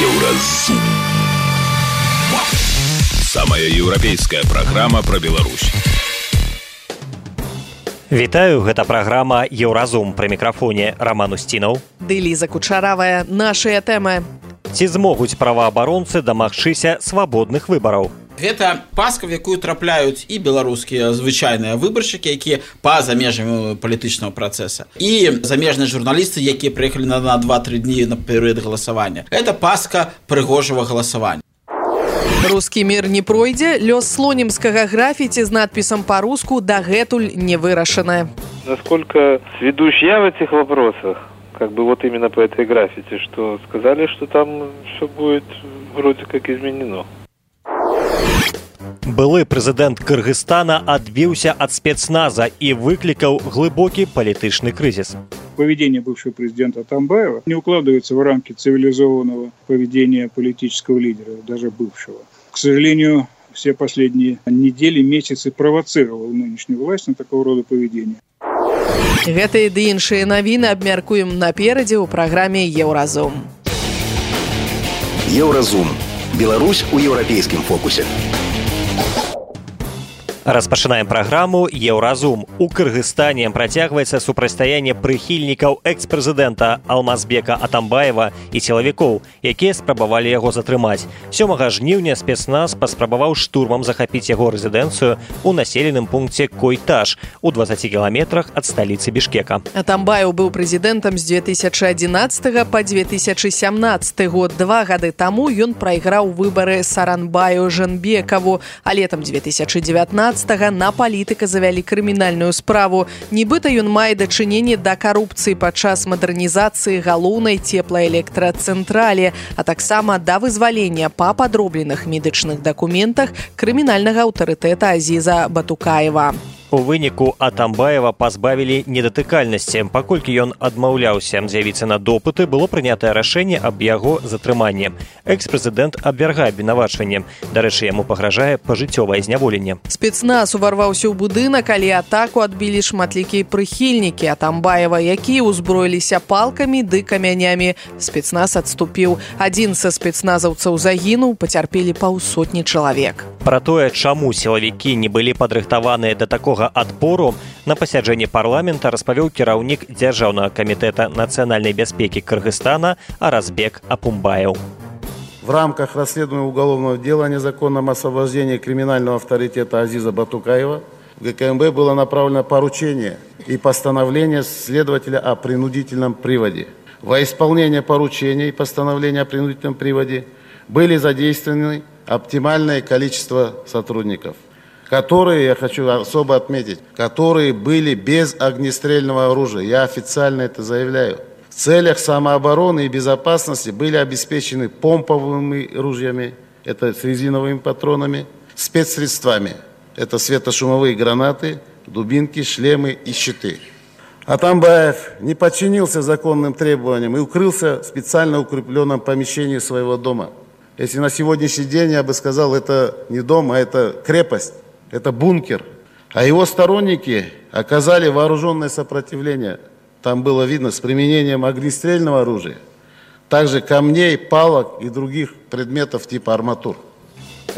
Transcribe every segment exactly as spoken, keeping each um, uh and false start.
Еўразум. Самая еўрапейская праграма пра Беларусь. Вітаю, гэта праграма «Еўразум». Пры мікрафоне Роман Устінаў. Ды Ліза Кучаравая. Нашыя тэмы. Ці змогуць праваабаронцы дамагчыся свабодных выбараў? Гэта паска, в якую трапляюць і беларускія звычайныя выбаршчыкі, якія па-за межамі палітычнага працэса, і замежныя журналісты, якія прыехалі на два-тры дні на перыяд галасавання. Гэта паска прыгожага галасавання. Рускі мір не пройдзе, лёс слонімскага графіці з надпісам па-руску дагэтуль не вырашаны. Насколько сведущ я в этих вопросах, как бы вот именно по этой граффити, что сказали, что там все будет вроде как изменено. Былы прэзідэнт Кыргызстана адбіўся ад спецназа і выклікаў глыбокі палітычны крызіс. Поведение бывшего президента Атамбаева не укладывается в рамки цивилизованного поведения политического лидера, даже бывшего. К сожалению, все последние недели, месяцы провоцировал нынешнюю власть на такого рода поведение. Гэтыя ды іншыя навіны абмяркуем наперадзе ў праграме «Еўразум». «Еўразум». Беларусь у еўрапейскім фокусе. Распачынаем праграму «Еўразум». У Кыргызстане працягваецца супрацьстаянне прыхільнікаў экс-прэзідэнта Алмазбека Атамбаева і сілавікоў, якія спрабавалі яго затрымаць. сёмага жніўня спецназ паспрабаваў штурмам захапіць яго рэзідэнцыю ў населеным пункце Койташ у дваццаці кіламетрах ад сталіцы Бішкека. Атамбаев быў прэзідэнтам з дзве тысячы адзінаццатага па дзве тысячы сямнаццаты год. Два гады таму ён прайграў выбары Саранбаю Жэнбекаву, а летам дзве тысячы дзевятнаццатага на палітыка завялі крымінальную справу. Нібыта ён мае дачыненне да карупцыі падчас мадэрнізацыі галоўнай цеплаэлектрацэнтралі, а таксама да вызвалення па падробленых медычных дакументах крымінальнага аўтарытэта Азіза Батукаева. У выніку Атамбаева пазбавілі недатыкальнасці. Паколькі ён адмаўляўся з'явіцца на допыты, было прынятае рашэнне аб яго затрыманні. Экс-прэзідэнт абвяргае абвінавачванне. Дарэчы, яму пагражае пажыццёвае зняволенне. Спецназ уварваўся ў будынак, але атаку адбілі шматлікія прыхільнікі Атамбаева, якія ўзброіліся палкамі ды камянямі. Спецназ адступіў. Адзін са спецназаўцаў загінуў, пацярпелі паўсотні чалавек. Пра тое, чаму сілавікі не былі падрыхтаваныя да такога адпору, на пасяджэнні парламента распавёў кіраўнік Дзяржаўнага камітэта нацыянальнай бяспекі Кыргызстана Аразбек Апумбаев. В рамках расследования уголовного дела о незаконном освобождении криминального авторитета Азиза Батукаева в ГКМБ было направлено поручение и постановление следователя о принудительном приводе. Во исполнение поручения и постановления о принудительном приводе были задействованы оптимальное количество сотрудников, которые, я хочу особо отметить, которые были без огнестрельного оружия. Я официально это заявляю. В целях самообороны и безопасности были обеспечены помповыми ружьями, это с резиновыми патронами, спецсредствами, это светошумовые гранаты, дубинки, шлемы и щиты. Атамбаев не подчинился законным требованиям и укрылся в специально укрепленном помещении своего дома. Если на сегодняшний день, я бы сказал, это не дом, а это крепость. Это бункер. А его сторонники оказали вооруженное сопротивление. Там было видно с применением огнестрельного оружия, также камней, палок и других предметов типа арматур.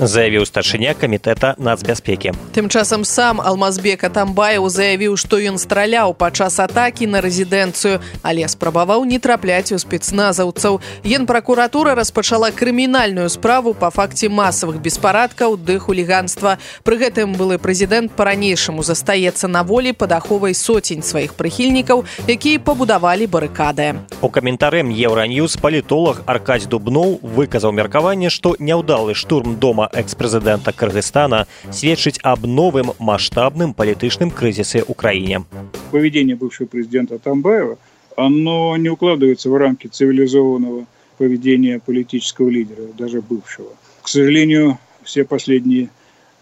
Заявіў старшыня камітэта нацбяспекі. Тым часам сам Алмазбек Атамбаев заявіў, што ён страляў падчас атакі на рэзідэнцыю, але спрабаваў не трапляць у спецназаўцаў. Генпракуратура распачала крымінальную справу па факце масавых беспарадкаў ды хуліганства. Пры гэтым былы прэзідэнт па-ранейшаму застаецца на волі пад аховай соцень сваіх прыхільнікаў, якія пабудавалі барыкады. У каментары Еўраньюз палітолог Аркадзь Дубноў выказаў меркаванне, што няўдалы штурм дома экс-прэзідэнта Кыргызстана сведчыць аб новым маштабным палітычным крызісе ў краіне. Поведение бывшего президента Атамбаева, оно не укладывается в рамки цивилизованного поведения политического лидера, даже бывшего. К сожалению, все последние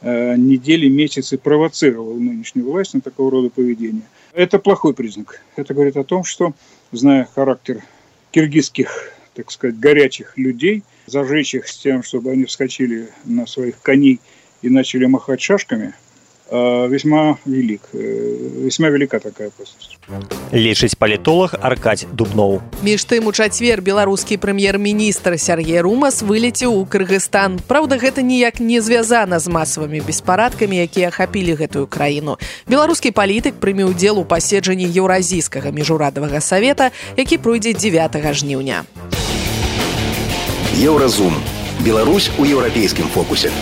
э, недели, месяцы провоцировал нынешнюю власть на такого рода поведение. Это плохой признак. Это говорит о том, что, зная характер киргизских, так сказать, горячих людей, зажечь их с тем, чтобы они вскочили на своих коней и начали махать шашками, весьма велик, весьма велика такая опасность. Лічыць палітолог Аркадь Дубноў. Між тым, у чацвер беларускі прэм'ер-міністр Сергей Румас вылеціў у Кыргызстан. Праўда, гэта ніяк не звязана з масавымі беспарадкамі, якія ахапілі гэтую краіну. Беларускі палітык прыме ўдзел у паседжанні Еўразійскага міжурадавага савета, які пройдзе дзевятага жніўня. Еўразум. Беларусь у еўрапейскім фокусе.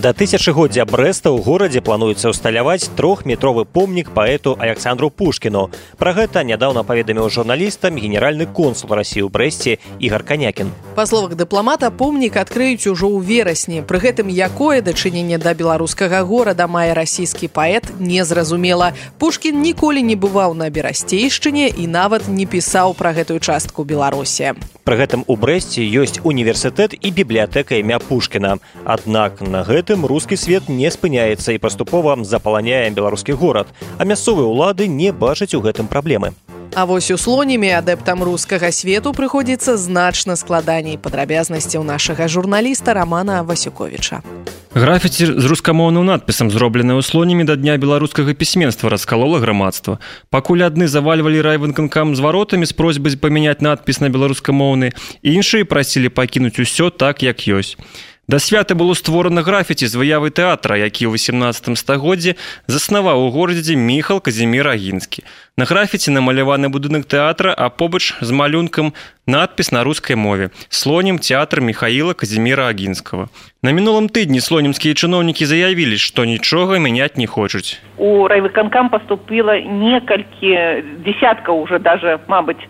Да тысячагоддзя Брэста ў горадзе плануецца ўсталяваць трохметровы помнік паэту Александру Пушкіну. Пра гэта нядаўна паведаміў журналістам генеральны консул Расіі ў Брэсце Ігар Канякін. Па словах дыпламата, помнік адкрыюць ужо ў верасні. Пры гэтым, якое дачыненне да беларускага горада мае расійскі паэт, незразумела. Пушкін ніколі не бываў на Берасцейшчыне і нават не пісаў пра гэтую частку Беларусі. Пры гэтым у Брэсце ёсць універсітэт і бібліятэка імя Пушкіна. Аднак на гэтым рускі свет не спыняецца і паступова запаланяе беларускі горад, а мясцовыя ўлады не бачаць у гэтым праблемы. А вось у Слонімі адэптам рускага свету прыходзіцца значна складаней. Падрабязнасці ў нашага журналіста Романа Васюковіча. Графіці з рускамоўным надпісам, зробленае ў Слонімі да дня беларускага пісьменства, раскалола грамадства. Пакуль адны завальвалі райвыканкам зваротамі з просьбай памяняць надпіс на беларускамоўны, іншыя прасілі пакінуць усё так, як ёсць. Да свята было створана графіці з выявы тэатра, які ў васемнаццатым стагоддзі заснаваў у горадзе Міхал Казімір Агінскі. На графіці намаляваны будынак тэатра, а побач з малюнкам надпіс на рускай мове «Слонім тэатр Міхаіла Казіміра Агінскага». На мінулым тыдні слонімскія чыноўнікі заявілі, што нічога мяняць не хочуць. У райвыканкам паступіла некалькі десяткаў уже даже, мабыць,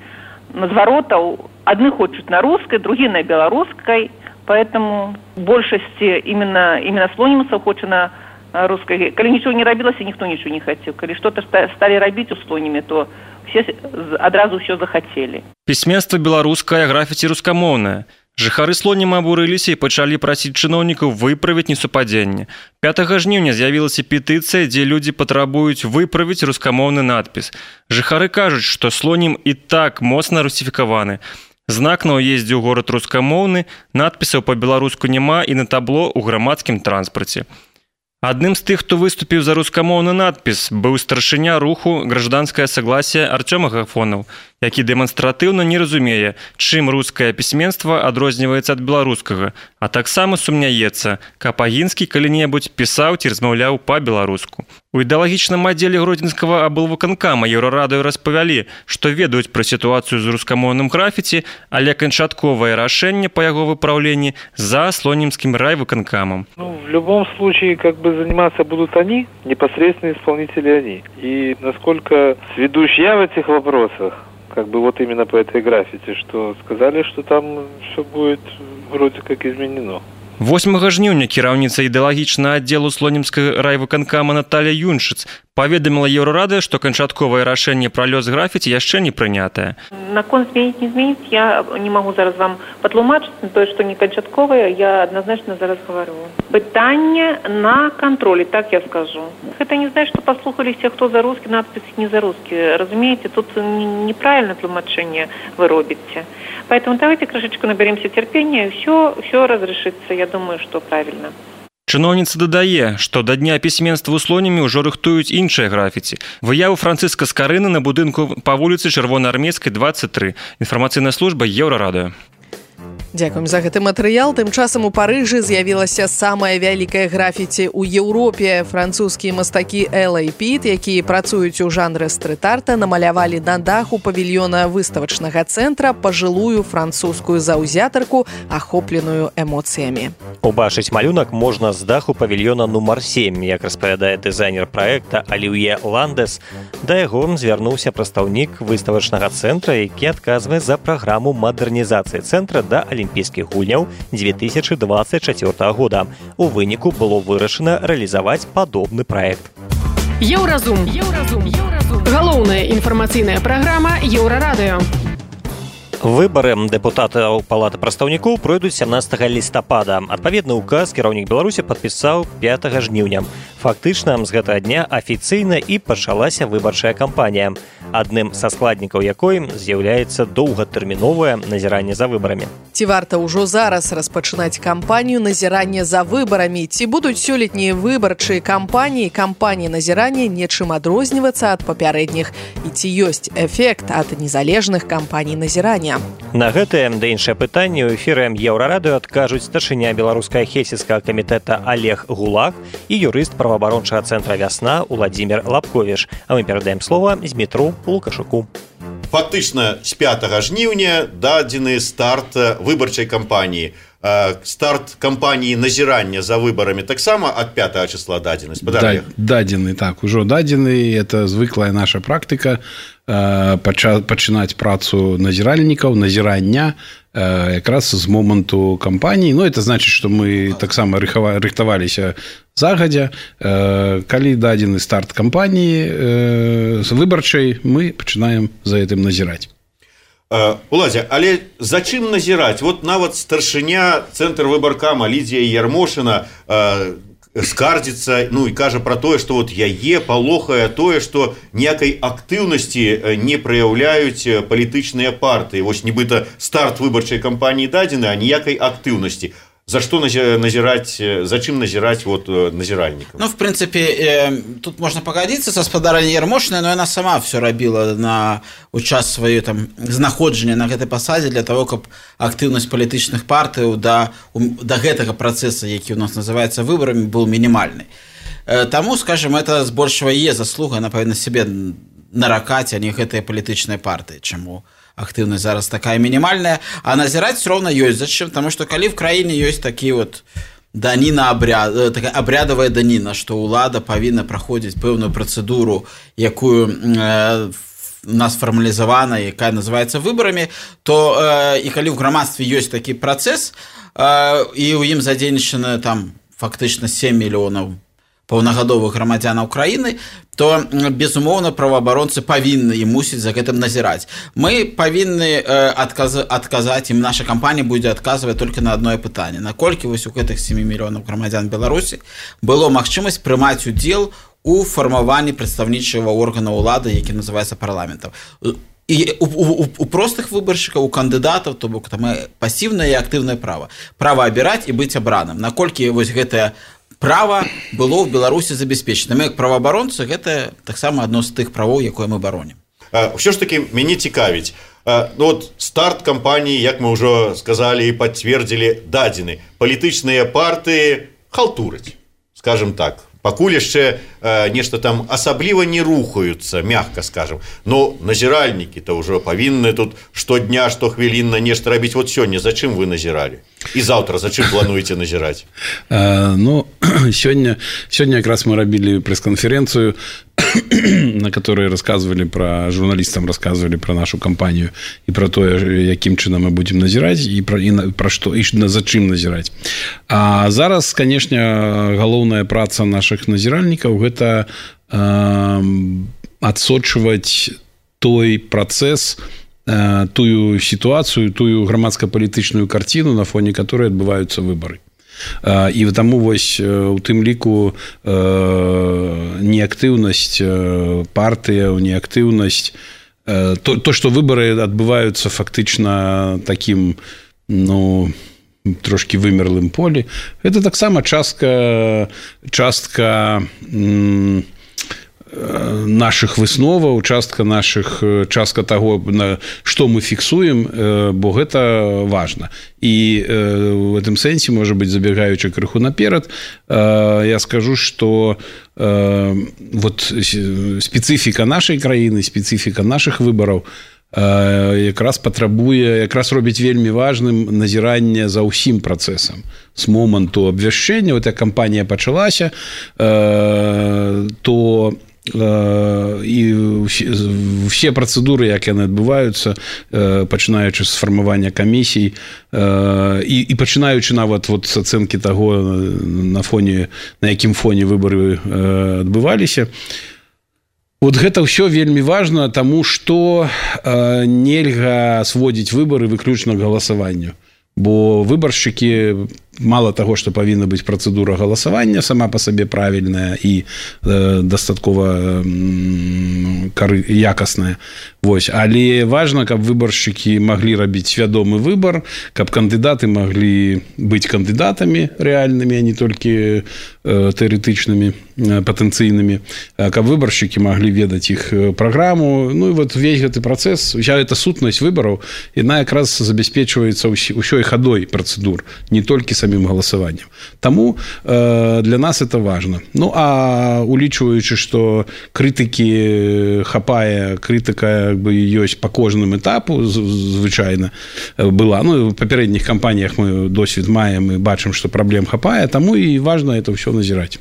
назваротаў. Адны хочуць на рускай, другія на беларускай. Поэтому большасці именно, именно слонімцаў хоча на рускай. Калі нічого не рабілася, ніхто нічого не хацеў. Калі што-то сталі рабіць у Слонімі, то все адразу ўсё захацелі. Пісьменства беларускае, графіці рускамоўнае. Жыхары Слоніма абурыліся і пачалі прасіць чыноўнікаў выправіць несупадзенне. пятага жніўня з'явілася петыцыя, дзе людзі патрабуюць выправіць рускамоўны надпіс. Жыхары кажуць, што Слонім і так моцна русіфікаваны. Знак на ўездзе ў горад рускамоўны, надпісаў па-беларуску няма і на табло ў грамадскім транспарце. Адным з тых, хто выступіў за рускамоўны надпіс, быў старшыня руху «Гражданскае согласие» Артём Агафонаў, які дэманстратыўна не разумее, чым рускае пісьменства адрозніваецца ад беларускага, а таксама сумняецца, каб Агінскі калі-небудзь пісаў ці размаўляў па-беларуску. У ідэалагічным аддзеле гродзенскага аблвыканкама Еўрарадыё распавялі, што ведаюць пра сітуацыю з рускамоўным графіці, але канчатковае рашэнне па яго выпраўленні за слонімскім райвыканкамам. Ну, в любом случае, как бы заниматься будут они, непосредственно исполнители они. И насколько сведущ я в этих вопросах, как бы вот именно по этой граффити, что сказали, что там все будет вроде как изменено. восьмага жніўня кіраўніца ідэалагічнага аддзелу слонімскага райвыканкама Наталья Юншыц паведаміла Еўрарадыё, што канчатковае рашэнне пра лёс графіці яшчэ не прынятае. Наконт зменіць, не зменіць, я не могу зараз вам патлумачыць, тое, што не канчатковае, я адназначна зараз гавару. Пытанне на кантролі, так я скажу. Гэта не значит, што паслухаліся, хто за рускі, надпіс не за рускі. Разумееце, тут неправильное тлумачэнне вы робіце. Поэтому давайте крышечку наберемся терпения, и все, все разрешится, я думаю, что правильно. Чыноўніца дадае, што да дня пісьменства ў Слонімі ўжо рыхтуюць іншыя графіці. Выяву Францыска Скарыны на будынку па вуліцы Чырвонаармейскай, двадцать три. Інфармацыйная служба Еўрарадыё. Дзякуем за гэты матэрыял. Тым часам у Парыжы з'явілася самая вялікая графіці ў Еўропе. Французскія мастакі Эл Эй Піт, якія працуюць у жанры стрыт-арта, намалявалі на даху павільёна выставачнага цэнтра пажылую французскую заўзятарку, ахопленую эмоцыямі. Убачыць малюнак можна з даху павільёна нумар сем, як распавядае дызайнер праекта Аліўе Ландес. Да яго звярнуўся прадстаўнік выставачнага цэнтра, які адказвае за праграму мадэрнізацыі цэнтра да Олимпийских гульняў две тысячи двадцать четвёртого года. У выніку было вырашана рэалізаваць падобны праект. Еўразум. Еўразум. Еўразум. Галоўная інфармацыйная праграма Еўрарадыё. Выбары дэпутатаў палаты прадстаўнікоў пройдуць сямнаццатага лістапада. Адпаведны ўказ кіраўнік Беларусі падпісаў пятага жніўня. Фактычна, з гэтага дня афіцыйна і пачалася выбарчая кампанія, адным са складнікаў якой з'яўляецца доўгатэрміновае назіранне за выбарамі. Ці варта ўжо зараз распачынаць кампанію назірання за выбарамі? Ці будуць сёлетнія выбарчыя кампаніі, кампаніі назірання нечым адрознівацца ад папярэдніх? І ці ёсць эфект ад незалежных кампаній назірання? На гэтае да іншае пытанне ў эфіры Еўрарадыё адкажуць старшыня беларускага хельсінскага камітэта Олег Гулак і юрыст праваабарончага цэнтра «Вясна» Уладзімір Лапковіш. А мы перадаем слова Змітру Лукашуку. Фактычна з пятага жніўня дадзены старт выбарчай кампаніі. Старт кампаніі назірання за выбарамі таксама ад пятага числа дадзены. Да, дадзены, так, ужо дадзены. Это звыклая наша практыка пачынаць працу назіральнікаў, назірання якраз з моманту кампаніі. Ну, это значит, что мы таксама рыхтаваліся загадзя. Калі дадзены старт кампаніі выбарчай, мы пачынаем за гэтым назіраць. Уладзя, але за чым назіраць? Вот нават старшыня цэнтр выбаркама Лідзія Ярмошына скардзіцца, ну і кажа пра тое, што вот яе палохае тое, што ніякай актыўнасці не праяўляюць палітычныя партыі. Вось нібыта старт выбарчай кампаніі дадзены, а ніякай актыўнасці. За что назирать, зачем назирать вот назиральников? Ну, в принципе, э, тут можно погодиться со спадарней Ярмошиной, но она сама все робила на час свое там знаходжання на гэтай пасадзе для того, каб актыўнасць палітычных партый до, до гэтага процесса, які у нас называется выборами, был минимальный. Э, тому, скажем, это збольшага е заслуга, она павінна себе наракаць, а не гэтыя палітычныя партыі. Чаму актыўнасць зараз такая мінімальная, а назіраць все равно ёсць. Зачем? Потому что калі в краіне ёсць такі вот даніна абряд, такая абрядавая даніна, што ўлада павінна праходзіць пэўную працэдуру, якую э, у нас фармалізавана, якая называецца выбарамі, то э, і калі ў грамадстве ёсць такі працэс, э, і ў ім задзейнічана там фактычна сем мільёнаў паўнагадовых грамадзянаў краіны, то, безумоўна, праваабаронцы павінны і мусіць за гэтым назіраць. Мы павінны э, адказ, адказаць, і наша кампанія будзе адказваць толькі на адное пытанне. Наколькі вось у гэтых сем мільёнаў грамадзян Беларусі было магчымасць прымаць удзел у фармаванні прадстаўнічага органа ўлады, які называецца парламентам. І у, у, у простых выбаршчыкаў, у кандыдатаў, то бок там пасіўнае і актыўнае права. Права абіраць і быць абраным. Наколькі вось гэтае права было ў Беларусі забяспечана. Мы, як праваабаронцы, гэта таксама адно з тых правоў, якое мы баронім. Ўсё ж такі мяне цікавіць. Ну, вот старт кампаніі, як мы ўжо сказалі і пацвердзілі, дадзены. Палітычныя партыі халтураць, скажем так. Пакуль яшчэ э, нешта там асабліва не рухаюцца, мягка скажем. Но назіральнікі-то ўжо павінны тут штодня, штохвілінна нешта рабіць. Вот сёння зачым вы назіралі? І заўтра зачым плануеце назіраць? Э, ну, сёння, сёння якраз мы рабілі прэс-канферэнцыю, на которой рассказывали про журналистам, рассказывали про нашу кампанию и про то, яким чынам мы будем назирать и про, и про что, и зачем назирать. А зараз, конечно, галоўная праца наших назиральников – это э, адсочваць той процесс, э, тую ситуацию, тую грамадска-палітычную картину, на фоне которой отбываются выборы. І таму вось у тым ліку неактыўнасць партыяў, неактыўнасць, то, то, што выбары адбываюцца фактычна такім, ну, трошки вымерлым полі, гэта таксама частка, частка наших высноваў, частка наших, частка таго, што мы фіксуем, бо гэта важна. І в гэтым сэнсе, можа быць, забегаючы крыху наперад, я скажу, што вот спецыфіка нашай краіны, спецыфіка наших выбараў якраз патрабуе, якраз робіць вельмі важным назіранне за ўсім працэсам. З моманту абвяшчэння, вот як кампанія пачалася, то і все працэдуры, як яны адбываюцца, пачынаючы з фармавання камісій і, і пачынаючы нават вот з ацэнкі таго, на фоне, на якім фоне выбары адбываліся, Вот гэта ўсё вельмі важна, таму што э, нельга сводзіць выбары выключна к галасаванню. Бо выбаршчыкі мало таго, што павінна быць працэдура галасавання сама па сабе правільная і э, дастаткова э, кары, якасная. Вось. Але важна, каб выбаршчыкі маглі рабіць свядомы выбар, каб кандыдаты маглі быць кандыдатамі рэальнымі, а не толькі э, тэарэтычнымі, э, патэнцыйнымі, каб выбаршчыкі маглі ведаць іх праграму. Ну і вот весь гэты працэс, уся эта сутнасць выбараў, яна якраз забяспечваецца ўсёй хадой працэдур, не толькі самим голосованием. Тому э, для нас это важно. Ну, а улічваючы, што крытыкі хапае, крытыка як бы ёсць па кожным этапу, звычайна была. Ну, в папярэдніх кампаніях мы досвед маем і бачым, што праблем хапае, таму і важно это ўсё назіраць.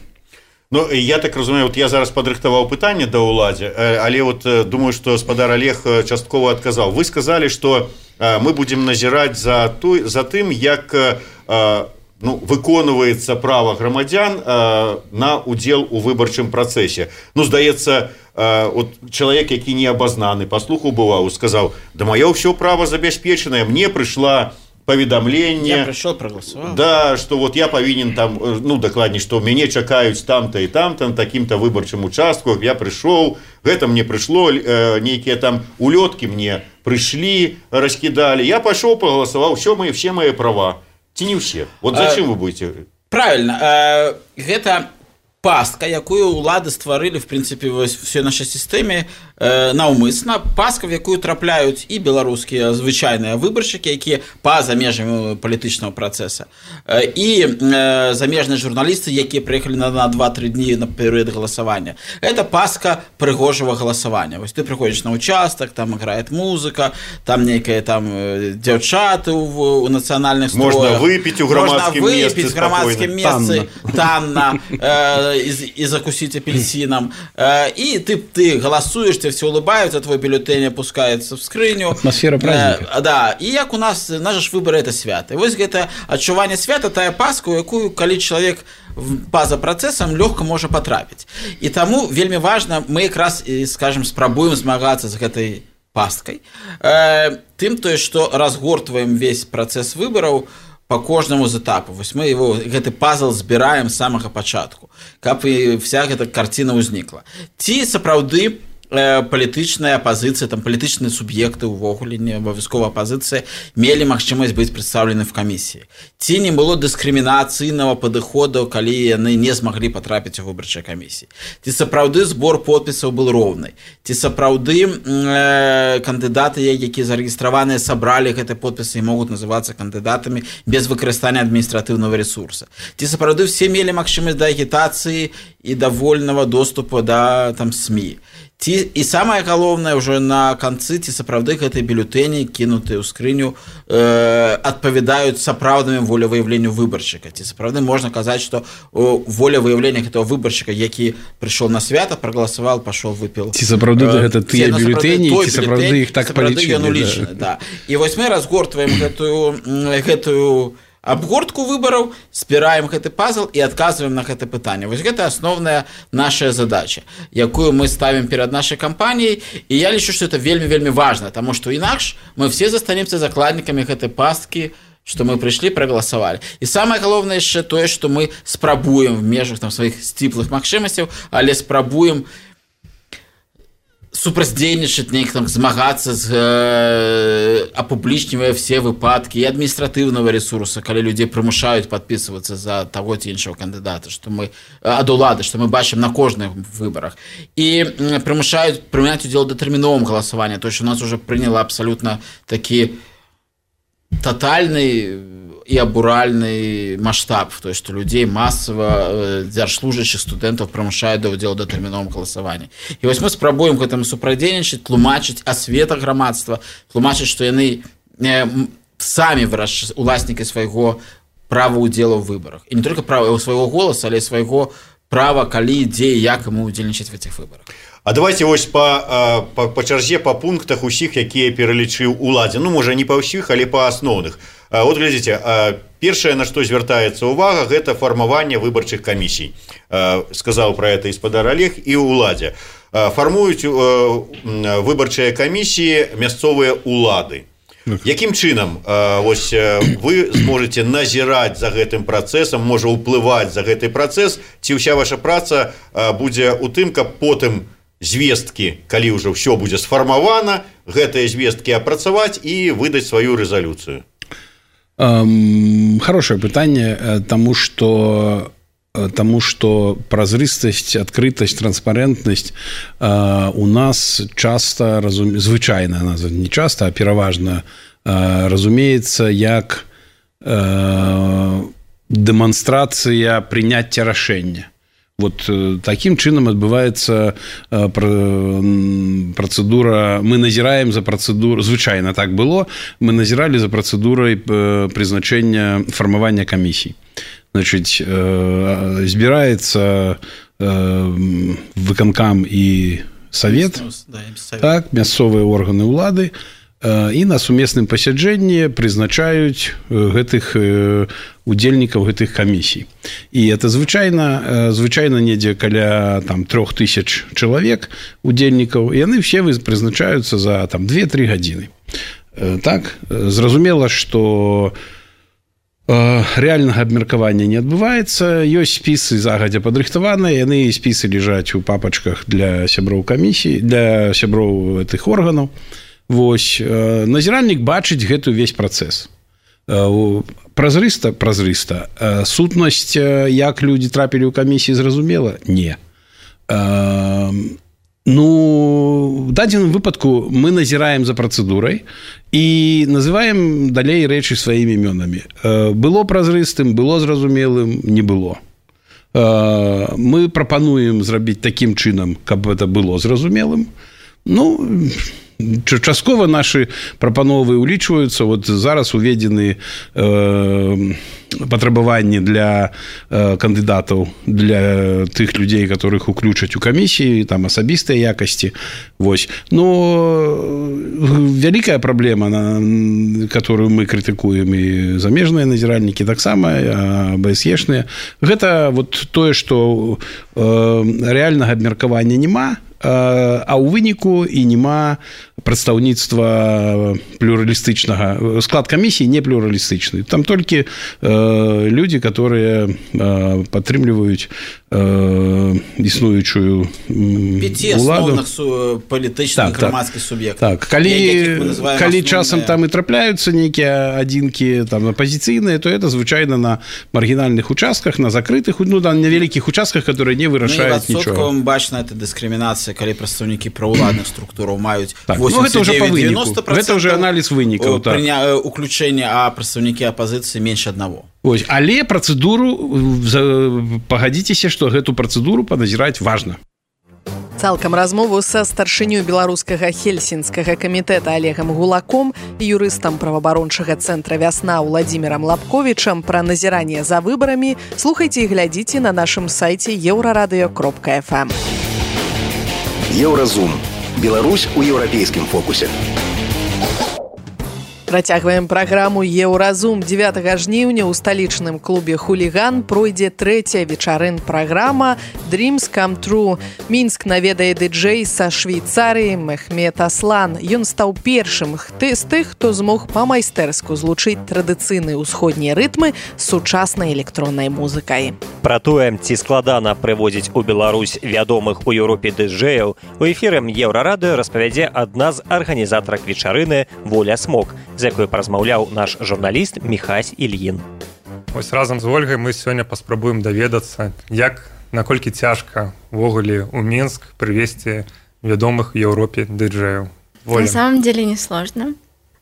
Ну, я так разумею, вот я зараз падрыхтаваў пытанне да ўладзе, але вот думаю, што спадар Олег часткова адказаў. Вы сказалі, што мы будем назіраць за, той, за тым, як ну, выконваецца права грамадзян на удзел у выбарчым працэсе. Ну, здаецца, вот чалавек, які не абазнаны, паслухаў бываў, сказаў, да маё ўсё права забяспечанае, мне прыйшла паведамленне. Я пришел, проголосовал. Да, что вот я повинен там, ну, докладней, что меня чакаюць там-то и там-то, на таким-то выборчым участку, я пришел, это мне пришло, э, некие там улетки мне пришли, раскидали, я пошел, проголосовал, все мои, все мои права. Ці не все. Вот зачем а, вы будете? Правильно. Э, это пастка, якую улады стварылі, в принципе, все нашей сістэме э, наўмысна, пастка, в якую трапляюць і беларускія звычайныя выбаршчыкі, якія па-за межамі палітычнага працэса, э, і э, замежныя журналісты, якія прыехалі на, на два-тры дні на перыяд галасавання. Это пастка прыгожага галасавання. Вось ты прыходзіш на участак, там играет музыка, там нейкія там дзяўчаты ў, у нацыянальных строях. Можна выпіць у грамадскім месцы. Можна выпіць у грамадскім месцы танна. Э, И, и закусить апельсином. И ты, ты голосуешь, тебе все улыбаются, твой бюллетень опускается в скрыню. Атмосфера праздника. Э, да. И як у нас, наши выборы это свято. И вот это адчуванне свята, тая паска, у якую, калі чалавек па-за працэсам лёгка можа патрапіць. І таму вельмі важна, мы якраз, скажем, спрабуем змагацца з гэтай пасткай. Э, тым тое, што разгортваем весь працэс выбараў по кожнаму з этапу. Вось мы его, гэты пазл збіраем з самага пачатку, каб і вся гэта карціна ўзнікла. Ці сапраўды э, палітычная апазіцыя, там палітычныя суб'екты увогуле, не абавязкова апазіцыя, мелі магчымасць быць прадстаўлены в камісіі. Ці не было дыскрымінацыйнага падыходу, калі яны не змаглі патрапіць у выбарчыя камісіі. Ці сапраўды збор подпісаў быў роўны. Ці сапраўды э, кандыдаты, якія зарэгістраваныя, сабралі гэтыя подпісы і могуць называцца кандыдатамі без выкарыстання адміністратыўнага ресурса. Ці сапраўды все мелі магчымасць да агітацыі і да вольнага доступу да там СМІ. Ці, і самае галоўнае ўжо на канцы, ці сапраўды гэтыя бюллетэні, кінутыя ў скрыню, э, адпавядаюць сапраўднаму волевыяўленню выбаршчыка. Ці сапраўды можна казаць, што волевыяўленне гэтага выбаршчыка, які прыйшоў на свята, прагаласаваў, пашоў, выпіў. Ці сапраўды э, гэта тыя бюллетэні, ці сапраўды іх так палічылі. Да. І вось мы разгортваем гэтую, гэтую абгортку выбараў, спіраем гэты пазл і адказваем на гэта пытанне. Вось гэта асноўная наша задача, якую мы ставім перад нашай кампаніяй, і я лічу, што это вельмі-вельмі важна, таму што інакш мы все застанемся закладнікамі гэтай пасткі, што мы прыйшлі, прагаласавалі. І самае галоўнае яшчэ тое, што мы спрабуем в межах там сваіх сціплых магчымасцяў, але спрабуем супрацьдзейнічаць, неяк там змагацца з э, апублічнівае все выпадкі і адміністратыўнага ресурса, калі людзей прымушаюць падпісвацца за таго ці іншага кандыдата, што мы ад улады, што мы бачым на кожных выбарах. І э, прымушаюць прыняць удзел у датэрміновым галасаванні, то што у нас уже прыняла абсалютна такі тотальны і абуральны маштаб, то што людзей масава дзяржслужачых студэнтаў прымушаюць да ўдзелу да тэрміновым галасаванні. І вось мы спрабуем гэтаму супрацьдзейнічаць, тлумачыць асвета грамадства, тлумачыць, што яны э, самі вырашчаць уласнікі свайго права ўдзелу ў выбарах. І не толькі права свайго голаса, але і свайго права, калі, дзе і як яму ўдзельнічаць в этих выбарах. А давайте вось па, па, па чарзе, па пунктах усіх, якія пералічыў уладзе. Ну, можа, не па ўсіх, але па асноўных. Вот глядзіце, першае, на што звяртаецца ўвага, гэта фармаванне выбарчых камісій. Сказаў пра гэта і спадар Олег, і ўладзе. фармуюць выбарчыя камісіі мясцовыя улады. Якім чынам вось вы зможаце назіраць за гэтым працэсам, можа ўплываць за гэты працэс, ці ўся ваша праца будзе ў тым, каб потым звесткі, калі ўжо ўсё будзе сфармавана, гэтыя звесткі апрацаваць і выдаць сваю рэзалюцыю? Хорошее пытанне, таму што Таму што празрыстасць, адкрытасць, транспарэнтнасць э, у нас часта, разум... звычайна, не часта, а пераважна э, разумеецца як э, дэманстрацыя прыняцця рашэння. Вот э, такім чынам адбываецца э, працэдура, мы назіраем за працэдуру, звычайна так было, мы назіралі за працэдурай э, прызначэння фармавання камісій. Значит, збіраецца выканкам і савет, так, мясцовыя органы ўлады, і на сумесным пасяджэнні прызначаюць гэтых удзельнікаў гэтых камісій. І это звычайна, звычайна недзе каля там трох тысяч чалавек удзельнікаў, і яны все прызначаюцца за там две-тры гадзіны. Так, зразумела, што рэальнага абмеркавання не адбываецца, ёсць спісы загадзя падрыхтаваныя, яны спісы ляжаць у папачках для сяброў камісій, для сяброў гэтых органаў. Вось, назіральнік бачыць гэты ўвесь працэс. Празрыста, празрыста. Сутнасць, як людзі трапілі ў камісіі, зразумела? Не. Ну, в дадзеным выпадку мы назіраем за працэдурай і называем далей рэчы сваімі імёнамі. Было празрыстым, было зразумелым, не было. Мы прапануем зрабіць такім чынам, каб гэта было зразумелым. Ну, часткова нашы прапановы ўлічваюцца. Вот зараз уведзены э, патрабаванні для э, кандыдатаў, для тых людзей, которых уключаць у камісіі, там асабістыя якасці. Вось. Но вялікая праблема, на которую мы крытыкуем, і замежныя назіральнікі таксама, БСЕшныя, гэта вот тое, што э, рэальнага абмеркавання няма, а ў выніку і няма прадстаўніцтва плюралістычнага. Склад камісіі не плюралістычны. Там толькі э, людзі, которые э, падтрымліваюць э, існуючую пяці асноўных палітычных грамадскіх суб'ектаў. Так, калі, калі часам там і трапляюцца нейкія адзінкі там апазіцыйныя, то это звычайна на маргінальных участках, на закрытых, ну, на невялікіх участках, которые не вырашаюць ну, нічога. Ну, бачна, это дыскрымінацыя, калі прадстаўнікі праўладных структураў маюць так, восемьдесят девять девяносто процентов. Это уже анализ вынікаў. Прыня... Уключэнне, а прадстаўнікі апазіцыі менш аднаго. Ось, але працэдуру, пагадзіцеся, што гэту працэдуру паназіраць важна. Цалкам размову са старшынёй беларускага хельсінскага камітэта Олегам Гулаком і юрыстам праваабарончага цэнтра «Вясна» Владзімірам Лапковічам пра назіранне за выбарамі слухайце і глядзіце на нашым сайце еўрарадыё кропка эф эм. Еўразум. Беларусь у еўрапейскім фокусе. Працягваем праграму «Еўразум». дзевятага жніўня ў сталічным клубе «Хуліган» пройдзе трэцяя вечарын-праграма «Dreams Come True». Мінск наведае ды-джэй са Швейцарыі Мехмед Аслан. Ён стаў першым з тых, хто змог па-майстэрску злучыць традыцыйныя ўсходнія рытмы з сучаснай электроннай музыкай. Пра тое, ці складана прывозіць у Беларусь вядомых у Еўропе ды-джэяў, у эфіры Еўрарадыё распавядзе адна з арганізатарак вечарыны Воля Смок, з якой паразмаўляў наш журналіст Міхась Ільін. Вось разам з Ольгай мы сёння паспрабуем даведацца, як, наколькі цяжка ўвогуле ў Мінск прывезці вядомых в Европе ди-джеев. На самом деле не сложно.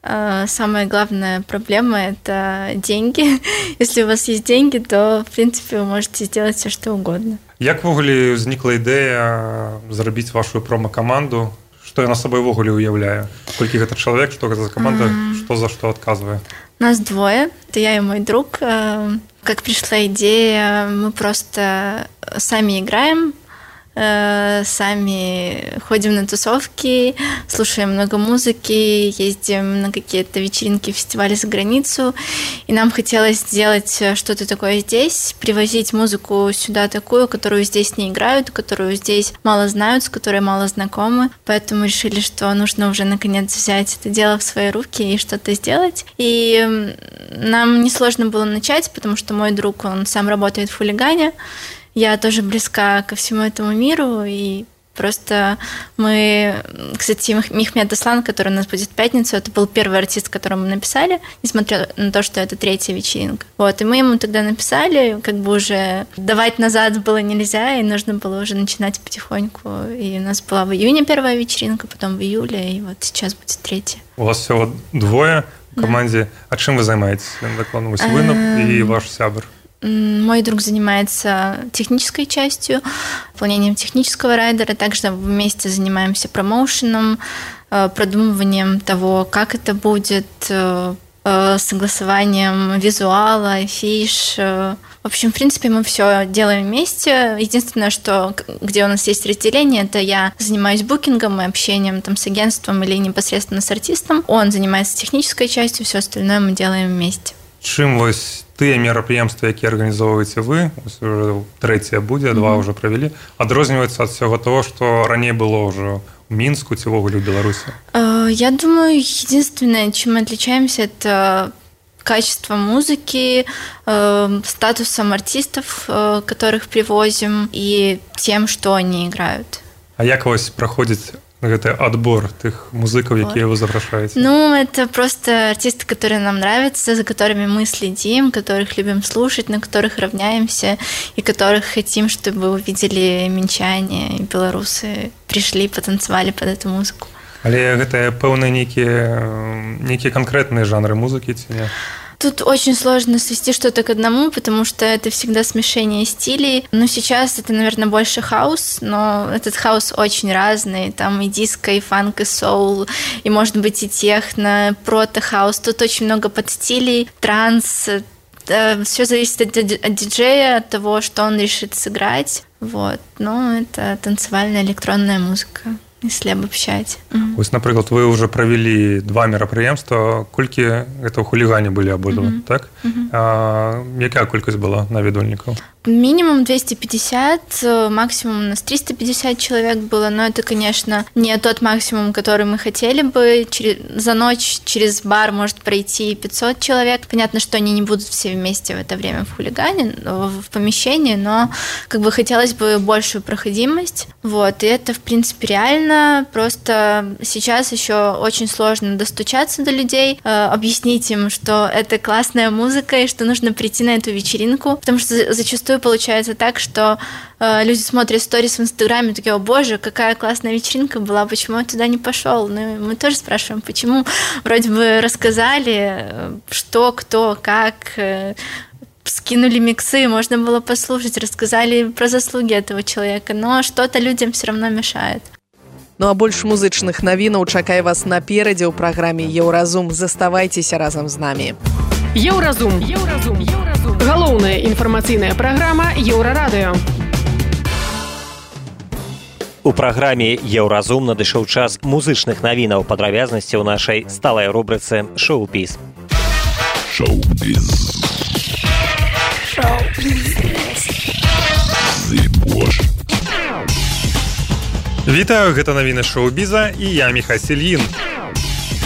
Самая главная проблема – это деньги. Если у вас есть деньги, то, в принципе, вы можете сделать все, что угодно. Як ввогуле ўзнікла ідэя зрабіць вашу промо-каманду? Што яна сабой ввогуле уяўляе? Колькі гэта чалавек, што гэта за каманда, што за што адказвае? Нас двое. Это я и мой друг. Как пришла идея, мы просто сами играем э, сами ходим на тусовки, слушаем много музыки, ездим на какие-то вечеринки, фестивали за границу. И нам хотелось сделать что-то такое здесь, привозить музыку сюда такую, которую здесь не играют, которую здесь мало знают, с которой мало знакомы. Поэтому решили, что нужно уже наконец взять это дело в свои руки и что-то сделать. И нам несложно было начать, потому что мой друг, он сам работает в хулигане. Я тоже близка ко всему этому миру, и просто мы... Кстати, Мехмед Аслан, который у нас будет в пятницу, это был первый артист, которому мы написали, несмотря на то, что это третья вечеринка. Вот, и мы ему тогда написали, как бы уже давать назад было нельзя, и нужно было уже начинать потихоньку. И у нас была в июне первая вечеринка, потом в июле, и вот сейчас будет третья. У вас всего двое в команде. Да. А чем вы занимаетесь? Вось вы и ваш сябр. Мой друг занимается технической частью, выполнением технического райдера. Также вместе занимаемся промоушеном, продумыванием того, как это будет, согласованием визуала, афиш. В общем, в принципе, мы все делаем вместе. Единственное, что где у нас есть разделение, это я занимаюсь букингом и общением там, с агентством или непосредственно с артистом. Он занимается технической частью, все остальное мы делаем вместе. Чым вось тыя мерапрыемствы, якія арганізоўваеце вы, трэцяе будзе, два ўжо правялі, адрозніваюцца ад всего того, што раней было ўжо в Минску, ці ўвогуле ў Беларусі? Я думаю, единственное, чем мы отличаемся, это качество музыки, статусом артистов, которых привозим, и тем, что они играют. А як вось праходзіць это отбор тех музыков, якія вы запрашаете? Ну, это просто артисты, которые нам нравятся, за которыми мы следим, которых любим слушать, на которых равняемся, и которых хотим, чтобы увидели минчане и белорусы, пришли, потанцевали под эту музыку. Але гэта пэўныя нейкія нейкія конкретные жанры музыки ці не? Тут очень сложно свести что-то к одному, потому что это всегда смешение стилей. Но сейчас это, наверное, больше хаус, но этот хаус очень разный. Там и диско, и фанк, и соул, и, может быть, и техно, прото-хаус. Тут очень много подстилей, транс. Все зависит от диджея, от того, что он решит сыграть. Вот. Но это танцевальная электронная музыка, если обобщать. Вось, напрыклад, вы уже провели два мерапрыемства. Колькі это ў хулігане былі абодва, mm-hmm. так? Mm-hmm. А, якая колькасць была наведвальнікаў? Минимум двести пятьдесят, максимум у нас триста пятьдесят человек было, но это, конечно, не тот максимум, который мы хотели бы. Через, за ночь через бар может пройти пятьсот человек. Понятно, что они не будут все вместе в это время в хулигане, в, в помещении, но как бы хотелось бы большую проходимость. Вот, и это, в принципе, реально. Просто сейчас еще очень сложно достучаться до людей, объяснить им, что это классная музыка и что нужно прийти на эту вечеринку, потому что зачастую получается так, что э, люди смотрят сторис в Инстаграме, такие: о боже, какая классная вечеринка была, почему я туда не пошел? Ну, мы тоже спрашиваем, почему. Вроде бы рассказали, что, кто, как, э, скинули миксы, можно было послушать, рассказали про заслуги этого человека, но что-то людям все равно мешает. Ну а больше музычных навінаў чакае вас наперадзе ў праграме Еўразум. Заставайцеся разам з намі. Еўразум. Еўразум. Еўразум. Галоўная інфармацыйная праграма Еўрарадыё. У праграме Еўразум надышоў час музычных навінаў, падрабязнасці ў нашай сталай рубрыцы «Шоу-біз». Шоу-біз. Шоу-біз. Зыбош. Вітаю, гэта навіны шоу-біза і я Міхась Ільін.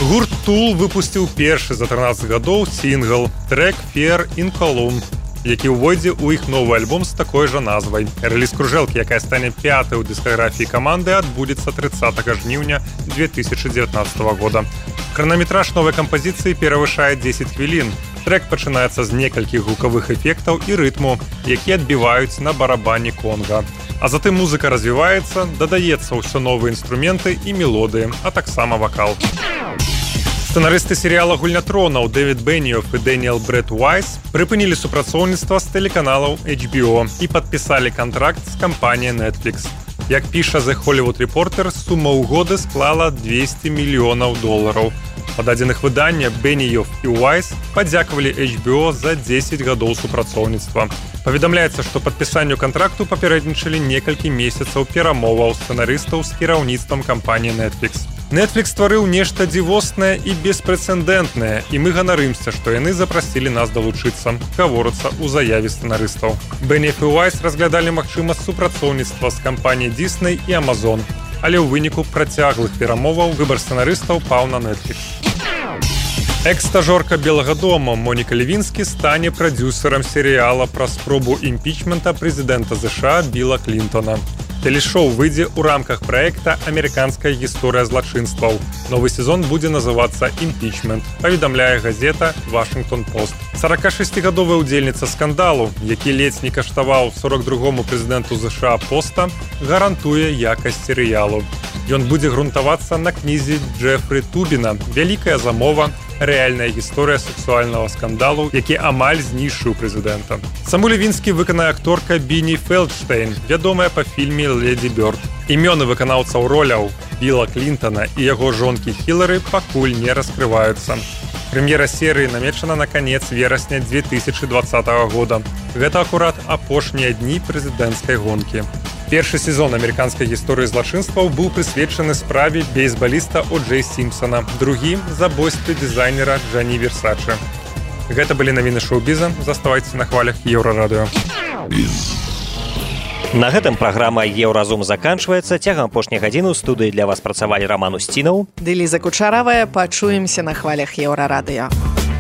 Гурт Tool выпусціў першы за трынаццаць гадоў сінгл «Трек Fear in Cologne», які ўвойдзе ў іх новы альбом з такой жа назвай. Рэліз кружэлкі, якая стане пятай у дыскаграфіі каманды, адбудзецца трыццатага жніўня две тысячы дзевятнаццатага года. Хранаметраж новай кампазіцыі перавышае дзесяць хвілін. Трек пачынаецца з некалькіх гукавых эфектаў і рытму, якія адбіваюць на барабане конга. А затым музыка развіваецца, дадаецца ўсё новыя інструменты і мелодыі, а таксама вакал. Сцэнарысты серыяла «Гульня тронаў» Дэвід Беніёф і Дэніэл Брэд Уайс прыпынілі супрацоўніцтва з тэлеканалаў эйч би о і падпісалі кантракт з кампаніяй Netflix. Як піша The Hollywood Reporter, сума ўгоды склала двесце мільёнаў долараў. Па дадзеных выдання Бенніёв і Уайс падзякавалі эйч би о за дзесяць гадоў супрацоўніцтва. Паведамляецца, што падпісанню кантракту папярэднічалі некалькі месяцаў перамоваў сцэнарыстаў з кіраўніцтвам кампаніі Netflix. Netflix стварыў нешта дзівоснае і беспрэцэдэнтнае, і мы ганарымся, што яны запрасілі нас далучыцца, гаворыцца ў заяве сцэнарыстаў. Бенніёв і Уайс разглядалі магчымасць супрацоўніцтва з кампаніяй Disney і Amazon, але ў выніку працяглых перамоваў выбар сцэнарыстаў паў на Netflix. Экс-стажорка Белага дома Моніка Левінскі стане прадзюсарам серыяла пра спробу імпічмента прэзідэнта США Біла Клінтона. Телешоу выйдзе ў рамках праекта «Амерыканская гісторыя злачынстваў». Новы сезон будзе называцца «Імпічмент», паведамляе газета «Вашингтон-Пост». сорокашестигадовая ўдзельніца скандалу, які ледзь не каштаваў сорок другому прэзідэнту США поста, гарантуе якасць серыялу. Ён будзе грунтавацца на кнізе Джефрі Тубіна «Вялікая замова. Рэальная гісторыя сексуальнага скандалу, які амаль знішчыў прэзідэнта». Саму Левінскі выканае акторка Біні Фелдштейн, вядомая па фільме «Леді Бёрд». Імёны выканаўцаў роляў Біла Клінтона і яго жонкі Хілары пакуль не раскрываюцца. Прэм'ера серыі намечана на канец верасня две тысячи двадцатого года. Гэта акурат апошнія дні прэзідэнцкай гонкі. Першы сезон амерыканскай гісторыі злачынстваў быў прысвечаны справе бейсбаліста О Джей Сімпсона, другі – забойстве дызайнера Джані Версачы. Гэта былі навіны шоу-біза. Заставайцеся на хвалях Еўрарадыё. На гэтым праграма «Еўразум» заканчваецца. Цягам апошняй гадзіны ў студыі для вас працавалі Раман Усцінаў ды Ліза Кучаравая. Пачуемся на хвалях Еўрарадыё.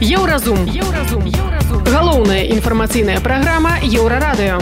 Еўразум. Еўразум. Еўразум. Галоўная інфармацыйная праграма Еўрарадыё.